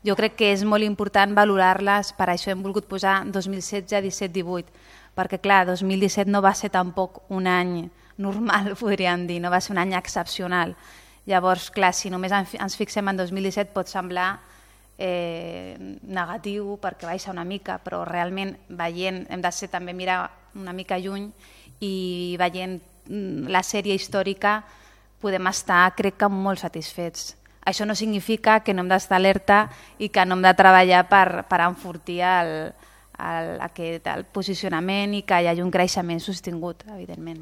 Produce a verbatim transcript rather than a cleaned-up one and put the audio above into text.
jo crec que és molt important valorar-les, per això hem volgut posar dos mil setze, disset, divuit, perquè clar, dos mil disset no va ser tampoc un any normal, podríem dir, no va ser un any excepcional. Llavors, clar, si només ens fixem en dos mil disset pot semblar eh, negatiu perquè baixa una mica, però realment veient, hem de ser també mirar una mica lluny i veient la sèrie històrica podem estar, crec que, molt satisfets. Això no significa que no hem d'estar alerta i que no hem de treballar per, per enfortir el, el, aquest, el posicionament i que hi hagi un creixement sostingut, evidentment.